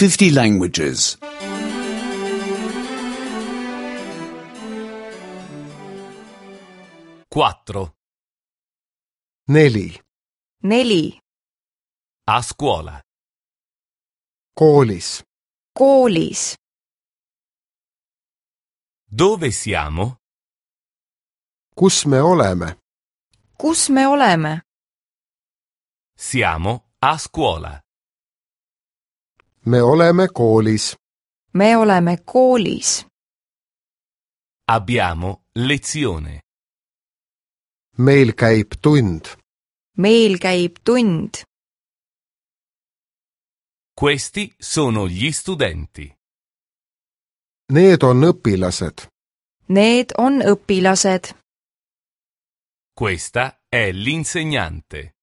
50 languages. 4. 4. 4. A scuola. Koolis. Koolis. Dove siamo? Kus me oleme? Kus me oleme? Siamo a scuola. Me oleme koolis. Me oleme koolis. Abbiamo lezione. Meil käib tund. Meil käib tund. Questi sono gli studenti. Need on õpilased. Need on õpilased. Questa è l'insegnante.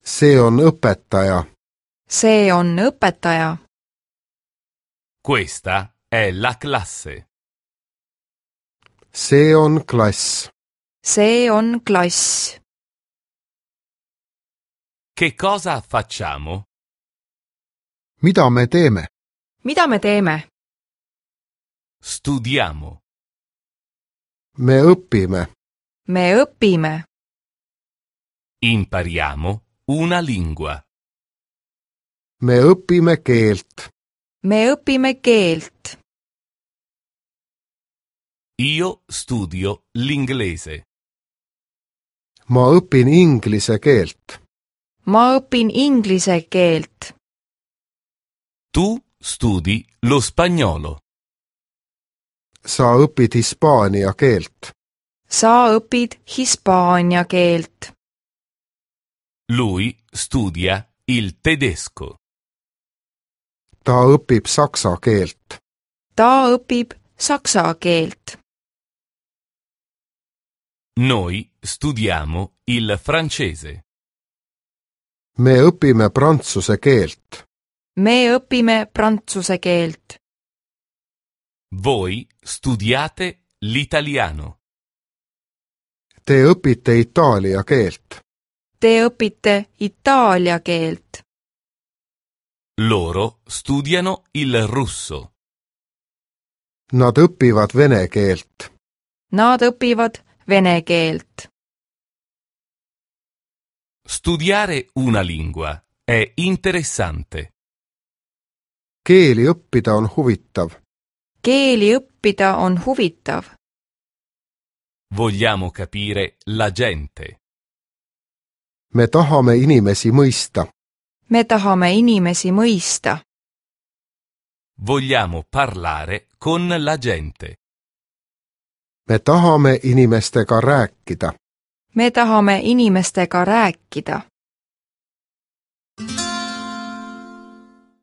See on õpetaja. See on õpetaja. Questa è la classe. See on klass. See on klass. Che cosa facciamo? Mida me teeme? Mida me teeme? Studiamo. Me õpime. Me õpime. Impariamo una lingua. Me õpime keelt. Me õpime keelt. Io studio l'inglese. Ma õpin inglise keelt. Ma õpin inglise keelt. Tu studi lo spagnolo. Sa õpid hispaania keelt. Sa õpid hispaania keelt. Lui studia il tedesco. Ta õpib saksa keelt. Ta õpib saksa keelt. Noi studiamo il francese. Me õpime prantsuse keelt. Me õpime prantsuse keelt. Voi studiate l'italiano. Te õpite itaalia keelt. Te õpite itaalia keelt. Loro studiano il russo. Nad õpivad vene keelt. Nad õpivad vene keelt. Studiare una lingua è interessante. Keeli õppida on huvitav. Keeli õppida on huvitav. Vogliamo capire la gente. Me tahame inimesi mõista. Me tahame inimesi mõista. Vogliamo parlare con la gente. Me tahame inimestega rääkida. Me tahame inimestega rääkida.